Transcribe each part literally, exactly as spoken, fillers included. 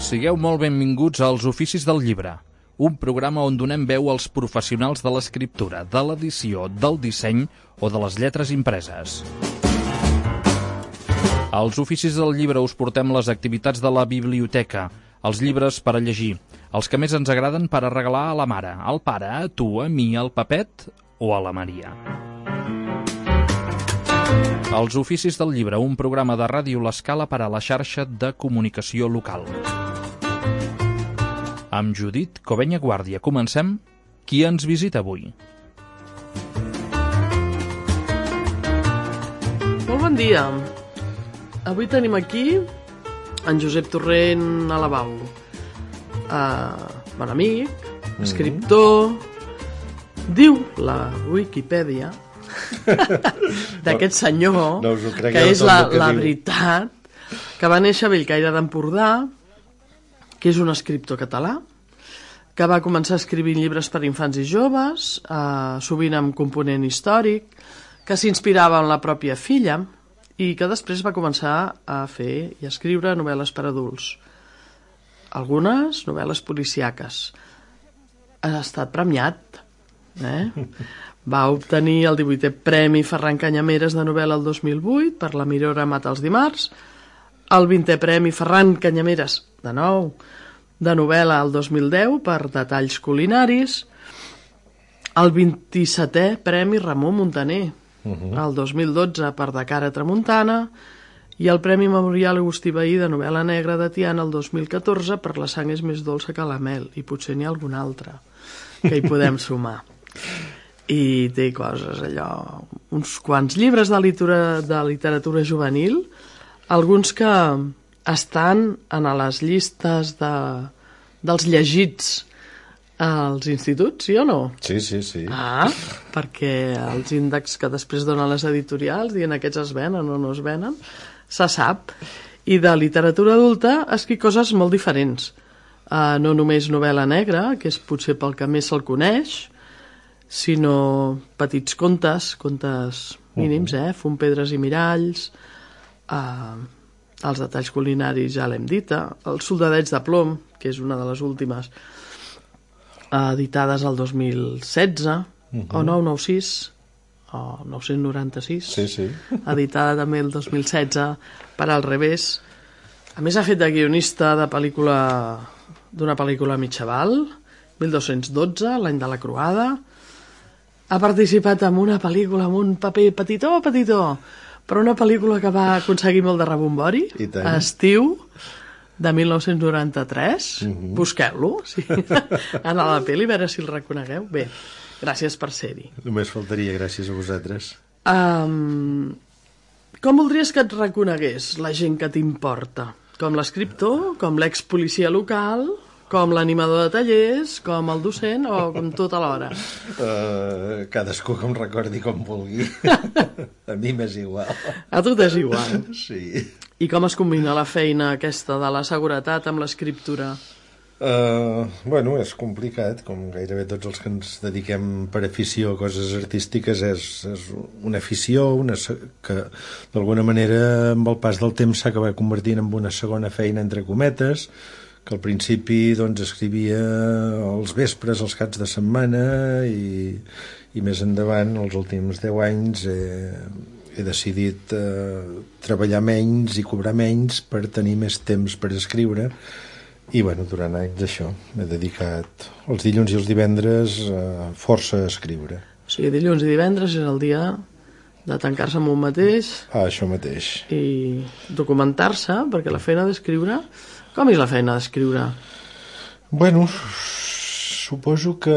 Sigueu molt benvinguts als Oficis del Llibre, un programa on donem veu als professionals de l'escriptura, de l'edició, del disseny o de les lletres impreses. Als Oficis del Llibre us portem les activitats de la biblioteca, els llibres per a llegir, els que més ens agraden per a regalar a la mare, al pare, a tu, a mi, al Pepet o a la Maria. Els Oficis del Llibre, un programa de Ràdio L'Escala per a la xarxa de comunicació local. Amb Judit Covenya Guàrdia comencem. Qui ens visita avui? Molt bon dia. Avui tenim aquí en Josep Torrent a la Bau. Uh, bon amic, mm-hmm. escriptor, diu la Wikipedia d'aquest senyor, no, no que és la, que la veritat, que va néixer a Bellcaire d'Empordà, que és un escriptor català, que va començar a escriure llibres per infants i joves, eh, sovint amb component històric, que s'inspirava en la pròpia filla i que després va començar a fer i a escriure novel·les per adults. Algunes novel·les policíaques. Ha estat premiat. Eh? Va obtenir el divuitè Premi Ferran Canyameres de novel·la el dos mil vuit per La Mirora mata els dimarts, el vintè Premi Ferran Canyameres, de nou, de novel·la el dos mil deu per Detalls culinaris, el vint-i-setè Premi Ramon Muntaner, uh-huh. el dos mil dotze per De cara a tramuntana, i el Premi Memorial Agustí Bahí de novel·la negra de Tiana el dos mil catorze per La sang és més dolça que la mel, i potser n'hi ha algun altre que hi podem sumar. I té coses, allò, uns quants llibres de literatura, de literatura juvenil, alguns que estan en les llistes de, dels llegits als instituts, sí o no? Sí, sí, sí. Ah, perquè els índexs que després donen les editorials dient aquests es venen o no es venen, se sap. I de literatura adulta escric coses molt diferents. Uh, no només novel·la negra, que és potser pel que més se'l coneix, sinó petits contes, contes mínims, eh? Fum, pedres i miralls, uh, els detalls culinaris ja l'hem dita, els soldadets de plom, que és una de les últimes uh, editades el dos mil setze, uh-huh. o nou nou sis, o nou-cents noranta-sis, sí, sí. editada també el dos mil setze per Al revés. A més ha fet de guionista de pel·lícula, d'una pel·lícula mitjaval, mil dos-cents dotze, l'any de la croada. Ha participat en una pel·lícula amb un paper petitó, petitó, però una pel·lícula que va aconseguir molt de rebombori, Estiu, de mil nou-cents noranta-tres. Uh-huh. Busqueu-lo, sí. En la pel·li, a veure si el reconegueu. Bé, gràcies per ser-hi. Només faltaria, gràcies a vosaltres. Um, com voldries que et reconegués la gent que t'importa? Com l'escriptor, com l'ex-policia local, com l'animador de tallers, com el docent o com tot alhora? Uh, cadascú que em recordi com vulgui. A mi m'és igual. A tu t'és igual? Sí. I com es combina la feina aquesta de la seguretat amb l'escriptura? Uh, bueno, és complicat, com gairebé tots els que ens dediquem per afició a coses artístiques, és, és una afició una, que d'alguna manera amb el pas del temps s'ha acabat convertint en una segona feina entre cometes, que al principi doncs, escrivia els vespres, els caps de setmana i, i més endavant, els últims deu anys, eh, he decidit eh, treballar menys i cobrar menys per tenir més temps per escriure i bueno, durant anys això m'he dedicat els dilluns i els divendres eh, força a escriure. O sigui, dilluns i divendres és el dia de tancar-se amb un mateix, ah, això mateix, i documentar-se, perquè la feina d'escriure... Com és la feina d'escriure? Bueno, suposo que,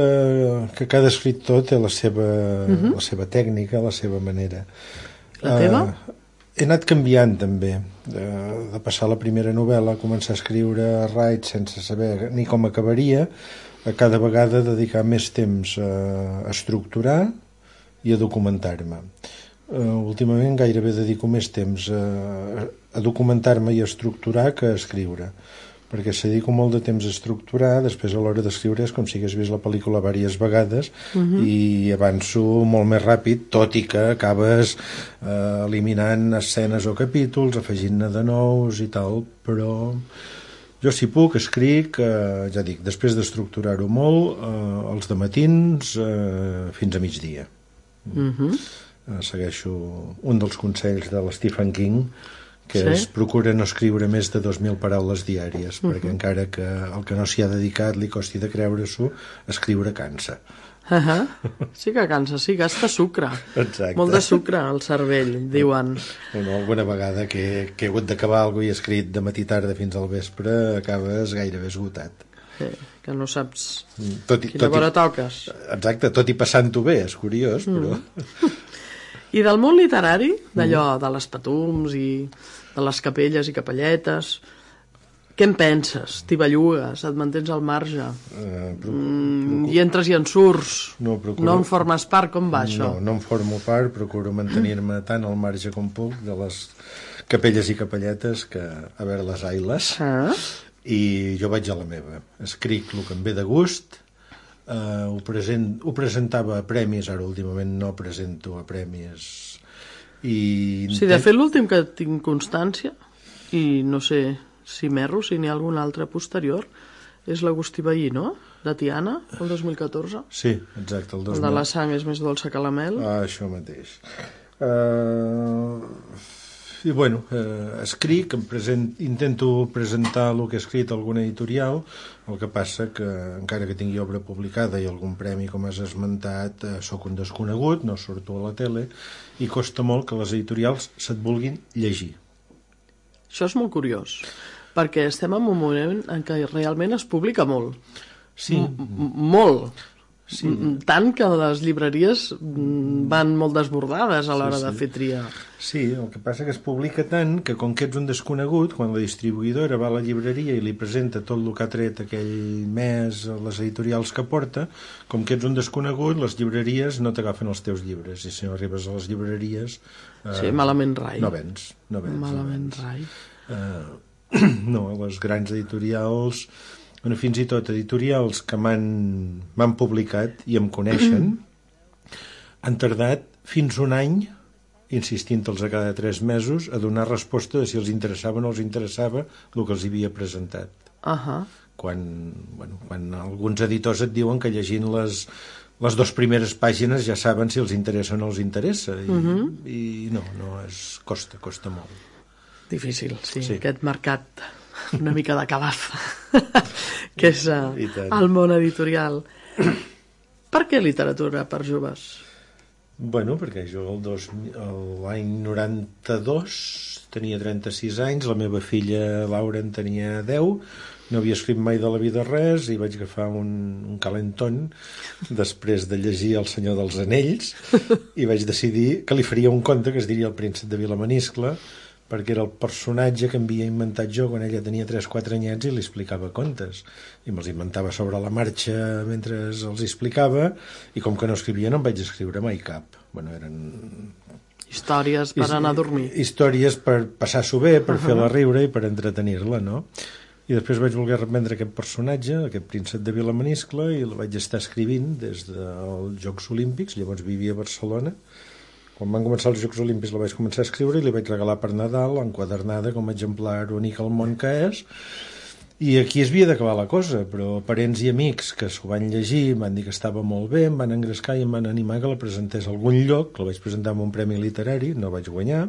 que cada escriptor té la seva, uh-huh. la seva tècnica, la seva manera. La teva? Uh, he anat canviant també, de, de passar la primera novel·la a començar a escriure a raig sense saber ni com acabaria, a cada vegada dedicar més temps a, a estructurar i a documentar-me. Uh, últimament gairebé dedico més temps a, a documentar-me i a estructurar que a escriure, perquè si dedico molt de temps a estructurar, després a l'hora d'escriure és com si hagués vist la pel·lícula diverses vegades uh-huh. i avanço molt més ràpid, tot i que acabes uh, eliminant escenes o capítols, afegint-ne de nous i tal, però Jo, si puc, escric, eh, ja dic, després d'estructurar-ho molt, eh, els dematins eh, fins a migdia. Uh-huh. Eh, segueixo un dels consells de l'Stephen King, que Sí? es procura no escriure més de dos mil paraules diàries, Uh-huh. perquè encara que el que no s'hi ha dedicat li costi de creure-s'ho, escriure cansa. Uh-huh. Sí que cansa, sí, gasta sucre. Exacte. Molt de sucre al cervell, diuen. Bueno, alguna vegada que, que he hagut d'acabar alguna cosa i he escrit de matí tarda fins al vespre, acabes gairebé esgotat. Sí, que no saps Tot i, quina tot i, hora toques. exacte, tot i passant-ho bé, és curiós, però... I del món literari, d'allò de les patums i de les capelles i capelletes, què en penses? T'hi bellugues, et mantens al marge, Eh, pro... mm, i entres i en surts, No, procuro- no en formes part, com va això? No, no em formo part, procuro mantenir-me tant al marge com puc de les capelles i capelletes que a veure les ailes. Ah, I jo vaig a la meva. Escric el que em ve de gust, eh, ho, present, ho presentava a premis, ara últimament no presento a premis. I sí, de fet l'últim que tinc constància, i no sé si m'erro, si n'hi ha algun altre posterior, és l'Agustí Veí, no? De Tiana, el dos mil catorze. Sí, exacte, el dos El mil... de la sang és més dolça que la mel. Ah, això mateix. Uh, I bueno, uh, escric, em present, intento presentar el que he escrit a alguna editorial, el que passa que encara que tingui obra publicada i algun premi, com has esmentat, uh, sóc un desconegut, no surto a la tele, i costa molt que les editorials se't vulguin llegir. Això és molt curiós, perquè estem en un moment en què realment es publica molt. Sí, M molt. Sí. Tant que les llibreries van molt desbordades a l'hora Sí, sí. de fer tria. sí, el que passa que es publica tant que com que ets un desconegut, quan la distribuïdora va a la llibreria i li presenta tot el que ha tret aquell mes a les editorials que porta, com que ets un desconegut, les llibreries no t'agafen els teus llibres, i si no arribes a les llibreries... Eh, Sí, malament rai. No vens, no vens. Malament no rai. vens. Eh, no, les grans editorials... Bueno, fins i tot editorials que m'han publicat i em coneixen han tardat fins un any insistint-los a cada tres mesos a donar resposta de si els interessava o no els interessava el que els havia presentat. Ahà. Quan, bueno, quan alguns editors et diuen que llegint les, les dues primeres pàgines ja saben si els interessa o no els interessa i, uh -huh. i no, no és, costa, costa molt. Difícil, sí, Sí. aquest mercat una mica de calaf que és uh, I tant. el món editorial. Per què literatura per joves? Bueno, perquè jo el dos mil l'any noranta-dos tenia trenta-sis anys, la meva filla Laura en tenia deu, no havia escrit mai de la vida res i vaig agafar un, un calentón després de llegir El senyor dels anells i vaig decidir que li faria un conte que es diria El príncep de Vilamaniscle, perquè era el personatge que havia inventat jo quan ella tenia tres o quatre anyets i li explicava contes. I me'ls inventava sobre la marxa mentre els explicava, i com que no escrivia no em vaig escriure mai cap. Bueno, eren... Històries per anar a dormir. Històries per passar-s'ho bé, per uh -huh. fer-la riure i per entretenir-la, no? I després vaig voler reprendre aquest personatge, aquest príncep de Vilamaniscle, i el vaig estar escrivint des dels Jocs Olímpics, llavors vivia a Barcelona. Quan van començar els Jocs Olímpics la vaig començar a escriure i li vaig regalar per Nadal, enquadernada com a exemplar únic al món que és, i aquí es havia d'acabar la cosa, però parents i amics que s'ho van llegir em van dir que estava molt bé, em van engrescar i em van animar que la presentés a algun lloc, que la vaig presentar amb un premi literari, no vaig guanyar,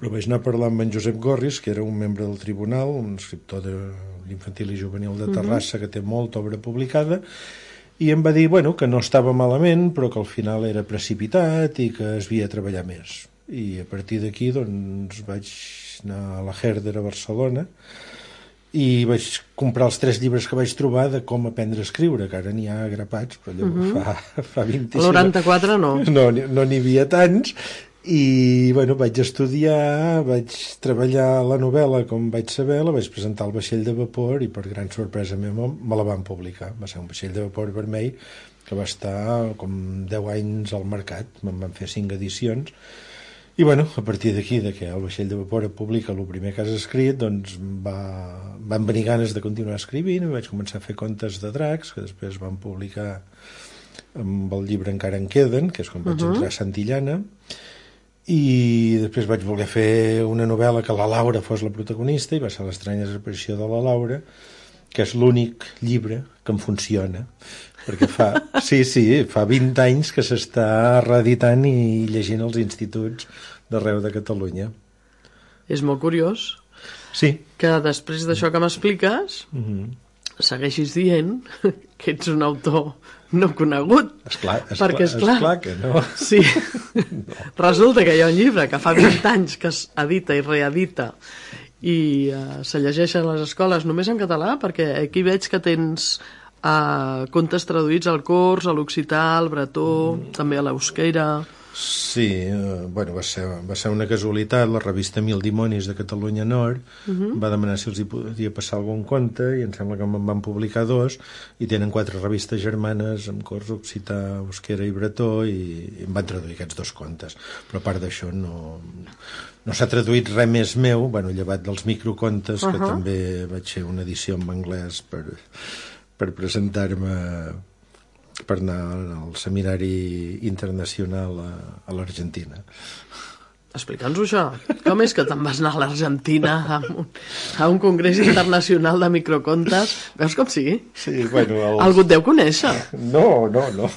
però vaig anar a parlar amb en Josep Gorris, que era un membre del tribunal, un escriptor d'infantil i juvenil de Terrassa, uh-huh. que té molta obra publicada, i em va dir, bueno, que no estava malament, però que al final era precipitat i que es havia de treballar més. I a partir d'aquí, doncs, vaig anar a la Herder a Barcelona i vaig comprar els tres llibres que vaig trobar de com aprendre a escriure, que ara n'hi ha grapats, però allò uh-huh. fa, fa vint-i-cinc... El noranta-quatre no. No, no n'hi havia tants, i bueno, vaig estudiar, vaig treballar la novel·la com vaig saber, la vaig presentar al vaixell de vapor i per gran sorpresa meva me la van publicar. Va ser un vaixell de vapor vermell que va estar com deu anys al mercat, me'n van fer cinc edicions, i bueno, a partir d'aquí, de que el vaixell de vapor et publica el primer que has escrit, doncs va, van venir ganes de continuar escrivint, i vaig començar a fer contes de dracs, que després van publicar amb el llibre Encara en queden, que és quan vaig uh-huh. entrar a Santillana. i després vaig voler fer una novel·la que la Laura fos la protagonista i va ser L'estranya desaparició de la Laura, que és l'únic llibre que em funciona, perquè fa, sí, sí, fa vint anys que s'està reeditant i llegint als instituts d'arreu de Catalunya. És molt curiós sí. que després d'això que m'expliques mm-hmm. segueixis dient que ets un autor no conegut. Esclar, esclar, perquè, esclar, esclar que no. Sí. No. Resulta que hi ha un llibre que fa vint anys que es edita i reedita i uh, se llegeix a les escoles només en català, perquè aquí veig que tens uh, contes traduïts al cors, a l'occità, al bretó, mm. també a l'eusquera. Sí, eh, bueno, va ser, va ser una casualitat. La revista Mil Dimonis de Catalunya Nord uh-huh. va demanar si els hi podia passar algun conte i em sembla que en van publicar dos i tenen quatre revistes germanes amb cors occità, euskera i bretó i, i em van traduir aquests dos contes. Però a part d'això no, no s'ha traduït res més meu, bueno, llevat dels microcontes, uh-huh. que també vaig fer una edició en anglès per, per presentar-me per anar al seminari internacional a, a l'Argentina. Explica'ns-ho això. Com és que te'n vas anar a l'Argentina a un, a un congrés internacional de microcontes? Veus com sigui? Sí, bueno... Els... Algú et deu conèixer? No, no, no.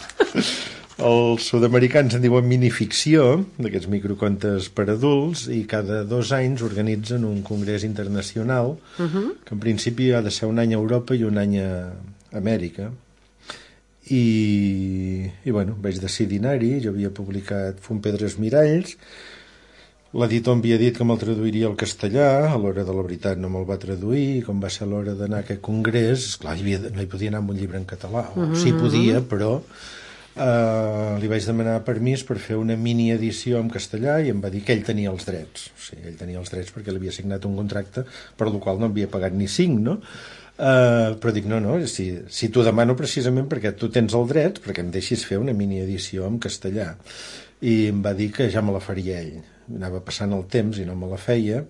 Els sud-americans en diuen minificció, d'aquests microcontes per adults, i cada dos anys organitzen un congrés internacional, uh-huh. que en principi ha de ser un any a Europa i un any a Amèrica. I, i bueno, vaig decidir anar-hi. Jo havia publicat Fum Pedres Miralls, l'editor em havia dit que me'l traduiria al castellà, a l'hora de la veritat no me'l va traduir, i com va ser l'hora d'anar a aquest congrés, esclar, hi havia, no hi podia anar amb un llibre en català, o mm-hmm. sí podia, però eh, li vaig demanar permís per fer una mini edició en castellà i em va dir que ell tenia els drets. O sigui, ell tenia els drets perquè l'havia signat un contracte per el qual no havia pagat ni cinc, no? Uh, però dic, no, no, si, si t'ho demano precisament perquè tu tens el dret, perquè em deixis fer una mini edició en castellà. I em va dir que ja me la faria ell. Anava passant el temps i no me la feia.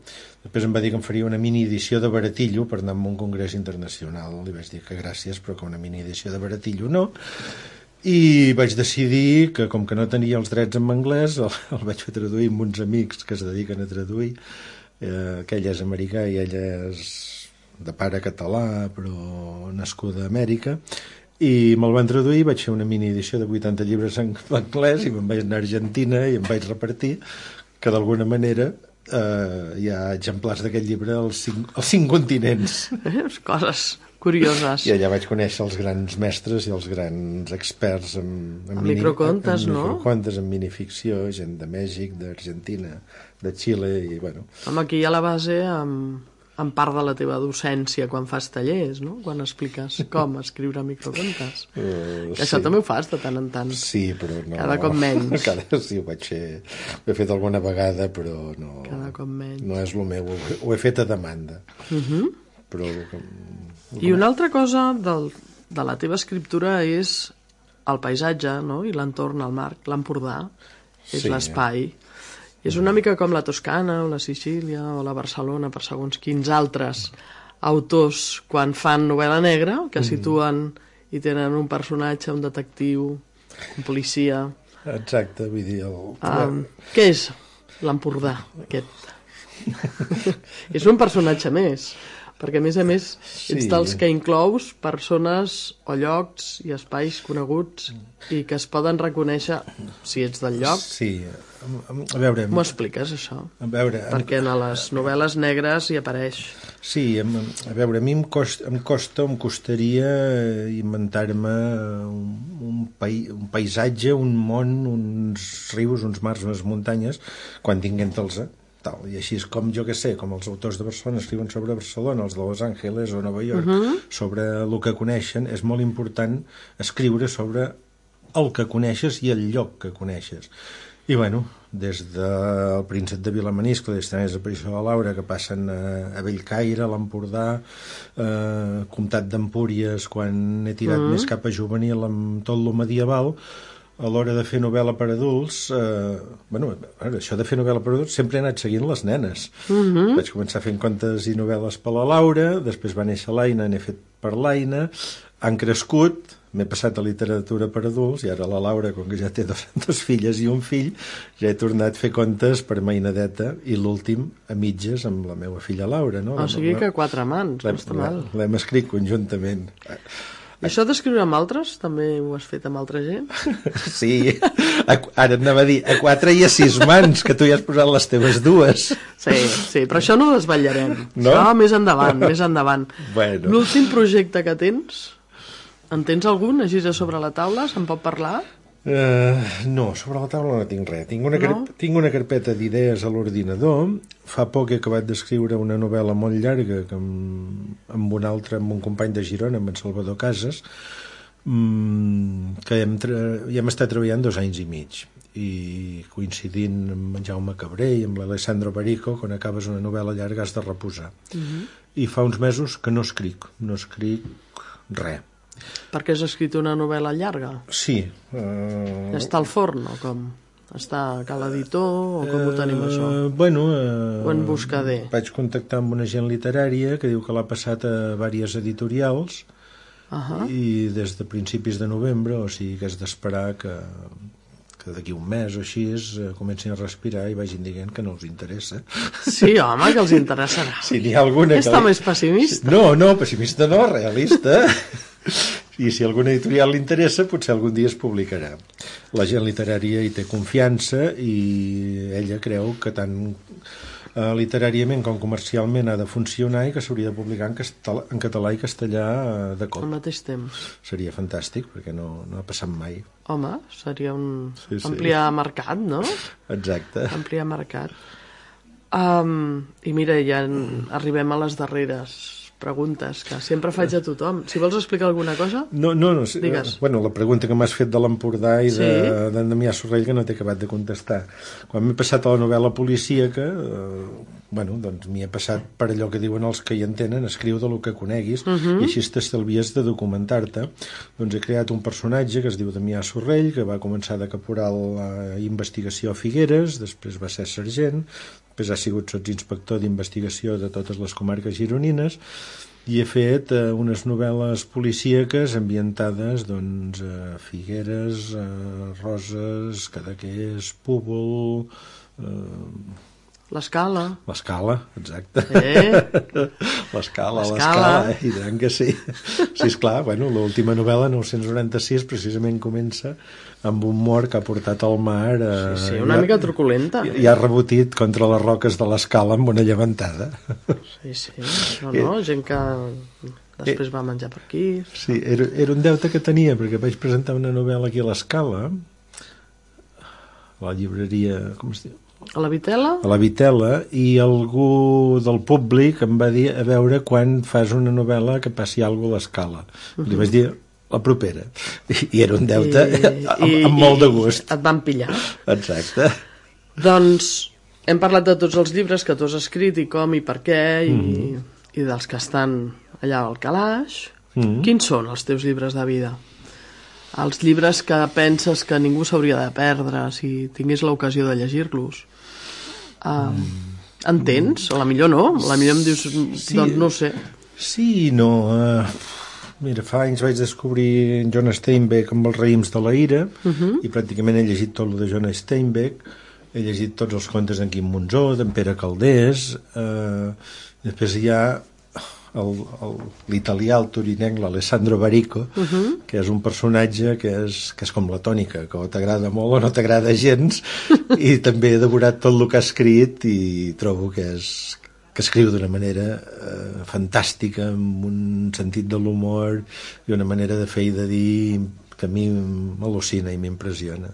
Després em va dir que em faria una mini edició de baratillo per anar a un congrés internacional. Li vaig dir que gràcies, però que una mini edició de baratillo no. I vaig decidir que, com que no tenia els drets en anglès, el, el vaig fer traduir amb uns amics que es dediquen a traduir. Eh, que ell és americà i ella és de pare català, però nascuda a Amèrica, i me'l van traduir, vaig fer una mini edició de vuitanta llibres en anglès i me'n vaig anar a Argentina i em vaig repartir, que d'alguna manera eh, hi ha exemplars d'aquest llibre als cinc, als cinc continents. Eh, coses curioses. I allà vaig conèixer els grans mestres i els grans experts en, en, en mini, microcontes, en, en no? microcontes, en minificció, gent de Mèxic, d'Argentina, de Xile, i bueno... Home, aquí hi ha la base amb... en part de la teva docència quan fas tallers, no? Quan expliques com escriure microcontes. Uh, que això sí. També ho fas de tant en tant. Sí, però no... Cada cop menys. Cada, sí, ho vaig fer... Ho he fet alguna vegada, però no... Cada cop menys. No és el meu... Ho he fet a demanda. Uh-huh. Però... I una altra cosa del, de la teva escriptura és el paisatge, no? I l'entorn, el marc, l'Empordà. És sí. L'espai. És una mica com la Toscana o la Sicília o la Barcelona per segons quins altres autors quan fan novel·la negra, que situen i tenen un personatge, un detectiu, un policia. Exacte, vull dir... El... Um, què és l'Empordà, aquest? És un personatge més, perquè a més a més ets sí. dels que inclous persones o llocs i espais coneguts i que es poden reconèixer si ets del lloc. Sí, a veure... M'ho expliques, això? A veure... Perquè en les novel·les negres hi apareix. Sí, a veure, a mi em costa, em, costa, em costaria inventar-me un, un, pai, un paisatge, un món, uns rius, uns mars, unes muntanyes, quan tinguent-los... Tal. I així és com, jo que sé, com els autors de Barcelona escriuen sobre Barcelona, els de Los Angeles o Nova York, uh-huh. sobre el que coneixen, és molt important escriure sobre el que coneixes i el lloc que coneixes. I bueno, des del Príncep de Vilamaniscle, des de Desaparició de la Laura, que passen a, a Bellcaire, a l'Empordà, eh, Comtat d'Empúries, quan he tirat uh-huh. més cap a juvenil amb tot lo medieval, a l'hora de fer novel·la per adults, eh, bueno, això de fer novel·la per adults sempre he anat seguint les nenes. Uh-huh. Vaig començar fent contes i novel·les per la Laura, després va néixer l'Aina, n'he fet per l'Aina, han crescut, m'he passat a literatura per adults, i ara la Laura, com que ja té dos, dos filles i un fill, ja he tornat a fer contes per mainadeta, i l'últim a mitges amb la meva filla Laura, no? O sigui que quatre mans, no està mal. L'hem escrit conjuntament. I això d'escriure amb altres, també ho has fet amb altra gent? Sí, a, ara anava a dir, a quatre i a sis mans, que tu ja has posat les teves dues. Sí, sí, però això no ho desvetllarem. No? Això més endavant, més endavant. Bueno. L'últim projecte que tens, en tens algun, així a sobre la taula, se'n pot parlar? Uh, no, sobre la taula no tinc res. Tinc una, no? carp tinc una carpeta d'idees a l'ordinador. Fa poc he acabat d'escriure una novel·la molt llarga que amb, amb un altre, amb un company de Girona, amb en Salvador Casas, mmm, que hem, hi hem estat treballant dos anys i mig. I coincidint amb en Jaume Cabré i amb l'Alessandro Barico, quan acabes una novel·la llarga has de reposar. Uh -huh. I fa uns mesos que no escric, no escric res. Perquè has escrit una novel·la llarga? Sí. Uh... Està al forn, o com? Està a cal editor, o com ho tenim, això? Uh, bueno... Uh... O en buscader? Vaig contactar amb una gent literària que diu que l'ha passat a diverses editorials, uh -huh. i des de principis de novembre, o sigui que has d'esperar que, que d'aquí un mes o així es, uh, comencin a respirar i vagin dient que no els interessa. Sí, home, que els interessarà. Si n'hi ha alguna Està que... més pessimista. No, no, pessimista no, realista. I si alguna editorial li interessa, potser algun dia es publicarà. La gent literària hi té confiança i ella creu que tant eh, literàriament com comercialment ha de funcionar i que s'hauria de publicar en, castel en català i castellà eh, de cop. Al mateix temps. Seria fantàstic, perquè no, no ha passat mai. Home, seria un... Sí, sí. ampliar mercat, no? Exacte. Ampliar mercat. Um, I mira, ja arribem a les darreres preguntes, que sempre faig a tothom. Si vols explicar alguna cosa, no, no, no, digues. Bueno, la pregunta que m'has fet de l'Empordà i sí? d'en de, Damià Sorrell, que no t'he acabat de contestar. Quan m'he passat a la novel·la policíaca, eh, bueno, doncs m'hi he passat per allò que diuen els que hi entenen, escriu de lo que coneguis, uh -huh. i així t'estalvies de documentar-te. Doncs he creat un personatge que es diu Damià Sorrell, que va començar de caporal a investigació a Figueres, després va ser sergent, després ha sigut sotsinspector d'investigació de totes les comarques gironines, i he fet eh, unes novel·les policíaques ambientades doncs, a Figueres, a Roses, Cadaqués, Púbol... Eh... L'Escala. L'Escala, exacte. Eh? L'Escala, l'Escala, i tant que sí. Sí, esclar, bueno, l'última novel·la, nou-cents noranta-sis, precisament comença amb un mort que ha portat al mar... Eh, sí, sí, una mica truculenta. I, i ha rebotit contra les roques de l'Escala amb una llevantada. Sí, sí, no, no, gent que després va menjar per aquí. Sí, era, era un deute que tenia, perquè vaig presentar una novel·la aquí a l'Escala, a la llibreria, com es diu? A la Vitela? A la Vitela, i algú del públic em va dir a veure quan fas una novel·la que passi alguna cosa a l'Escala. Uh -huh. Li vaig dir la propera. I, i era un deute I, amb, i, amb molt de gust. Et van pillar. Exacte. Doncs hem parlat de tots els llibres que tu has escrit i com i per què i, mm. i dels que estan allà al calaix. Mm. Quins són els teus llibres de vida? Els llibres que penses que ningú s'hauria de perdre si tingués l'ocasió de llegir-los. Uh, mm. En tens? O la millor no? La millor em dius, sí, doncs no ho sé. Sí i no. Uh, mira, fa anys vaig descobrir John Steinbeck amb els raïms de la ira, uh -huh. i pràcticament he llegit tot el de John Steinbeck. He llegit tots els contes d'en Quim Monzó, d'en Pere Calders. Uh, després hi ha l'italià, el torinenc, l'Alessandro Barico, uh -huh. que és un personatge que és, que és com la tònica, que o t'agrada molt o no t'agrada gens, i també he devorat tot el que ha escrit i trobo que és que escriu d'una manera eh, fantàstica, amb un sentit de l'humor i una manera de fer i de dir que a mi m'al·lucina i m'impressiona.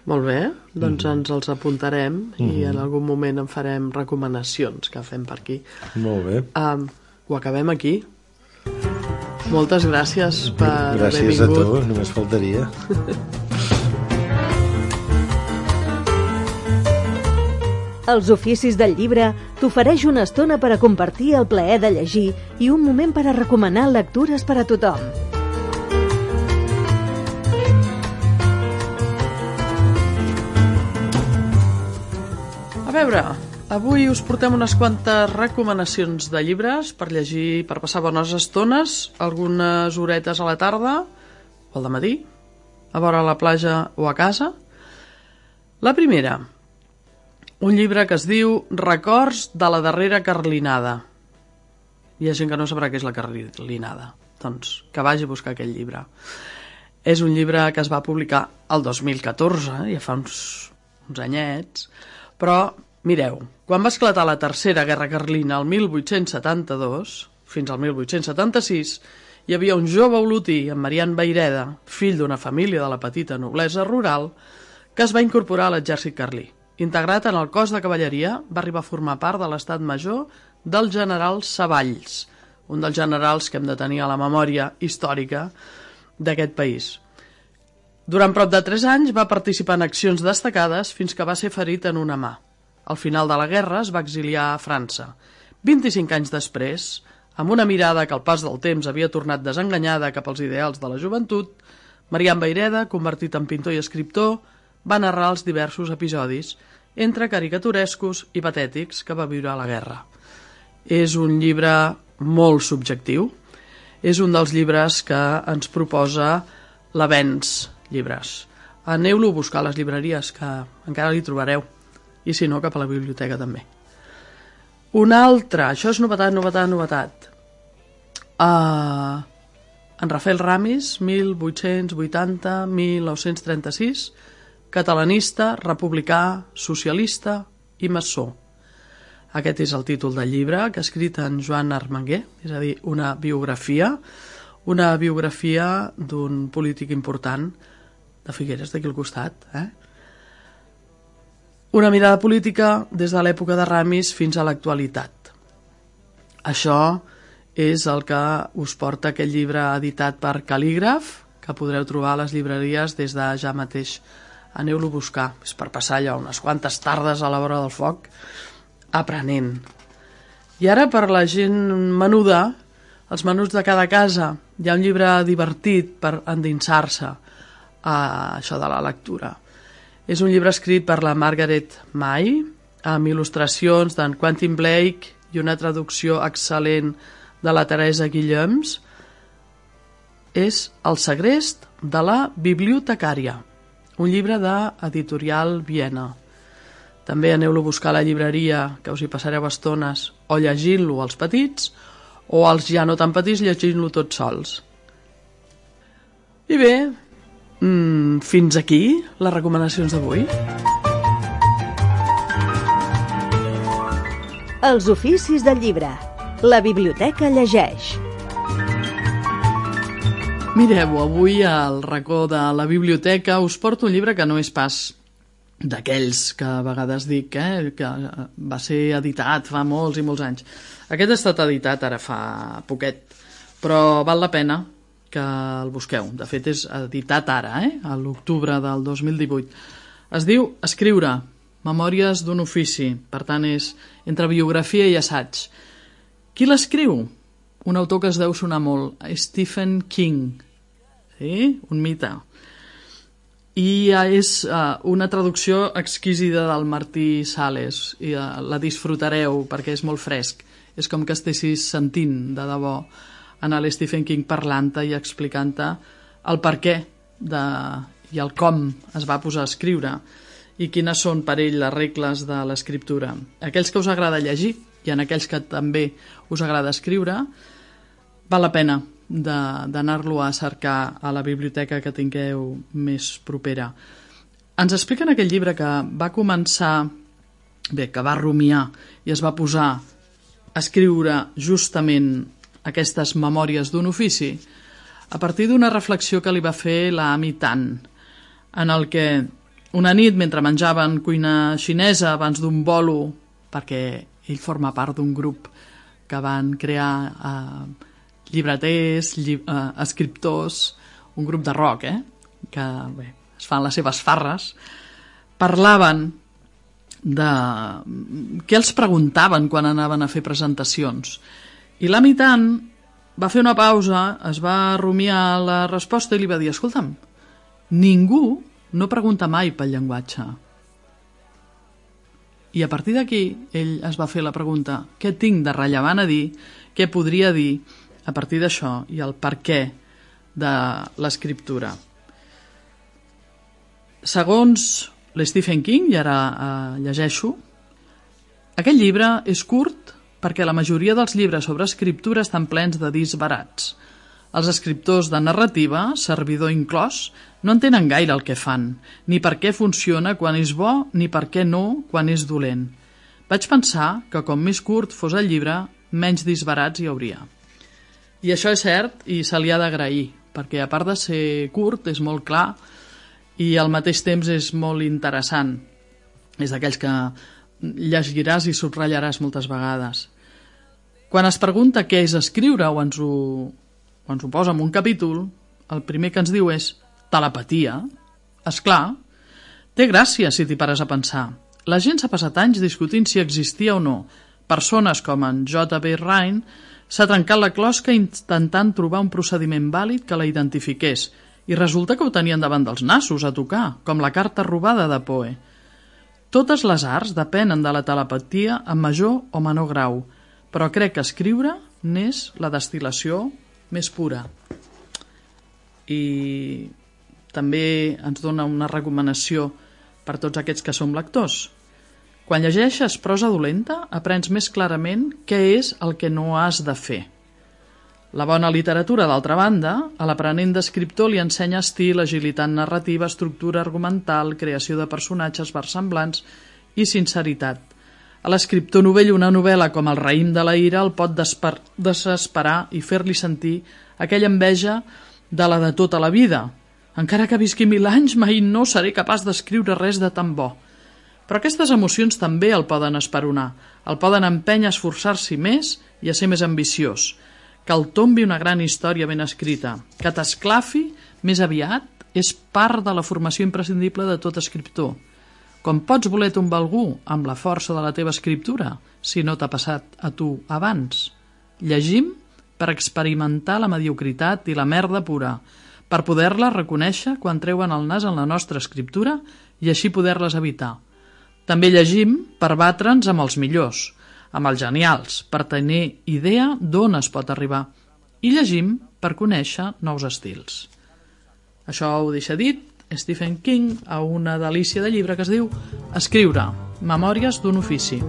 Molt bé, doncs mm -hmm. ens els apuntarem mm -hmm. i en algun moment en farem recomanacions que fem per aquí. Molt bé. Um, ho acabem aquí. Moltes gràcies per gràcies haver vingut. Gràcies a tu, només faltaria. Els oficis del llibre t'ofereix una estona per a compartir el plaer de llegir i un moment per a recomanar lectures per a tothom. A veure, avui us portem unes quantes recomanacions de llibres per llegir, per passar bones estones, algunes horetes a la tarda, al dematí, a vora la platja o a casa. La primera, un llibre que es diu Records de la darrera carlinada. Hi ha gent que no sabrà què és la carlinada, doncs que vagi a buscar aquell llibre. És un llibre que es va publicar el dos mil catorze, ja fa uns, uns anyets, però mireu, quan va esclatar la tercera guerra carlina el mil vuit-cents setanta-dos, fins al mil vuit-cents setanta-sis, hi havia un jove olotí, en Marian Vayreda, fill d'una família de la petita noblesa rural, que es va incorporar a l'exèrcit carlí. Integrat en el cos de cavalleria, va arribar a formar part de l'estat major del general Savalls, un dels generals que hem de tenir a la memòria històrica d'aquest país. Durant prop de tres anys va participar en accions destacades fins que va ser ferit en una mà. Al final de la guerra es va exiliar a França. vint-i-cinc anys després, amb una mirada que al pas del temps havia tornat desenganyada cap als ideals de la joventut, Marian Vayreda, convertit en pintor i escriptor, va narrar els diversos episodis, entre caricaturescos i patètics, que va viure a la guerra. És un llibre molt subjectiu. És un dels llibres que ens proposa l'Avenç Llibres. Aneu-lo a buscar a les llibreries, que encara li trobareu. I si no, cap a la biblioteca també. Un altre, això és novetat, novetat, novetat. Uh, en Rafael Ramis, mil vuit-cents vuitanta a mil nou-cents trenta-sis, catalanista, republicà, socialista i maçó. Aquest és el títol del llibre, que ha escrit en Joan Armenguer, és a dir, una biografia, una biografia d'un polític important de Figueres, d'aquí al costat. Eh? Una mirada política des de l'època de Ramis fins a l'actualitat. Això és el que us porta aquest llibre editat per Cal·lígraf, que podreu trobar a les llibreries des de ja mateix. Aneu-lo a buscar, és per passar allò unes quantes tardes a la vora del foc aprenent. I ara, per la gent menuda, els menuts de cada casa, hi ha un llibre divertit per endinsar-se a això de la lectura. És un llibre escrit per la Margaret May, amb il·lustracions d'en Quentin Blake i una traducció excel·lent de la Teresa Guillems. És El segrest de la bibliotecària, un llibre d'Editorial Viena. També aneu-lo a buscar a la llibreria, que us hi passareu estones, o llegint-lo als petits, o als ja no tan petits llegint-lo tots sols. I bé, mmm, fins aquí les recomanacions d'avui. Els oficis del llibre. La biblioteca llegeix. Mireu, avui al racó de la biblioteca us porto un llibre que no és pas d'aquells que a vegades dic, eh, que va ser editat fa molts i molts anys. Aquest ha estat editat ara fa poquet, però val la pena que el busqueu. De fet, és editat ara, eh, a l'octubre del dos mil divuit. Es diu Escriure, memòries d'un ofici, per tant és entre biografia i assaig. Qui l'escriu? Un autor que es deu sonar molt, Stephen King, sí? Un mite. I és uh, una traducció exquisida del Martí Sales, i uh, la disfrutareu perquè és molt fresc. És com que estessis sentint de debò en l'Stephen King parlant-te i explicant-te el per què de, i el com es va posar a escriure i quines són per ell les regles de l'escriptura. Aquells que us agrada llegir i en aquells que també us agrada escriure, val la pena d'anar-lo a cercar a la biblioteca que tingueu més propera. Ens explica en aquell llibre que va començar, bé, que va rumiar i es va posar a escriure justament aquestes memòries d'un ofici a partir d'una reflexió que li va fer la Amy Tan, en el que una nit, mentre menjaven cuina xinesa abans d'un bolo, perquè ell forma part d'un grup que van crear eh, llibreters, llib eh, escriptors, un grup de rock, eh? que bé, es fan les seves farres, parlaven de què els preguntaven quan anaven a fer presentacions. I l'Amy Tan va fer una pausa, es va rumiar la resposta i li va dir: escolta'm, ningú no pregunta mai pel llenguatge. I a partir d'aquí ell es va fer la pregunta: què tinc de rellevant a dir, què podria dir a partir d'això, i el per què de l'escriptura. Segons l'Stephen King, i ara eh, llegeixo, aquest llibre és curt perquè la majoria dels llibres sobre escriptura estan plens de disbarats. Els escriptors de narrativa, servidor inclòs, no entenen gaire el que fan, ni per què funciona quan és bo, ni per què no quan és dolent. Vaig pensar que com més curt fos el llibre, menys disbarats hi hauria. I això és cert i se li ha d'agrair, perquè a part de ser curt és molt clar i al mateix temps és molt interessant. És d'aquells que llegiràs i subratllaràs moltes vegades. Quan es pregunta què és escriure o ens ho, o ens ho posa en un capítol, el primer que ens diu és telepatia. Esclar, té gràcia si t'hi pares a pensar. La gent s'ha passat anys discutint si existia o no. Persones com en J B Rhine s'ha trencat la closca intentant trobar un procediment vàlid que la identifiqués i resulta que ho tenien davant dels nassos a tocar, com la carta robada de Poe. Totes les arts depenen de la telepatia en major o menor grau, però crec que escriure n'és la destil·lació més pura. I també ens dona una recomanació per tots aquests que som lectors. Quan llegeixes prosa dolenta, aprens més clarament què és el que no has de fer. La bona literatura, d'altra banda, a l'aprenent d'escriptor li ensenya estil, agilitat narrativa, estructura argumental, creació de personatges versemblants i sinceritat. A l'escriptor novell una novel·la com El raïm de la ira el pot desper- desesperar i fer-li sentir aquella enveja de la de tota la vida. Encara que visqui mil anys, mai no seré capaç d'escriure res de tan bo. Però aquestes emocions també el poden esperonar, el poden empènyer a esforçar-s'hi més i a ser més ambiciós. Que el tombi una gran història ben escrita, que t'esclafi més aviat, és part de la formació imprescindible de tot escriptor. Com pots voler tombar algú amb la força de la teva escriptura, si no t'ha passat a tu abans? Llegim per experimentar la mediocritat i la merda pura, per poder-la reconèixer quan treuen el nas en la nostra escriptura i així poder-les evitar. També llegim per batre'ns amb els millors, amb els genials, per tenir idea d'on es pot arribar. I llegim per conèixer nous estils. Això ho deixa dit Stephen King a una delícia de llibre que es diu Escriure, memòries d'un ofici.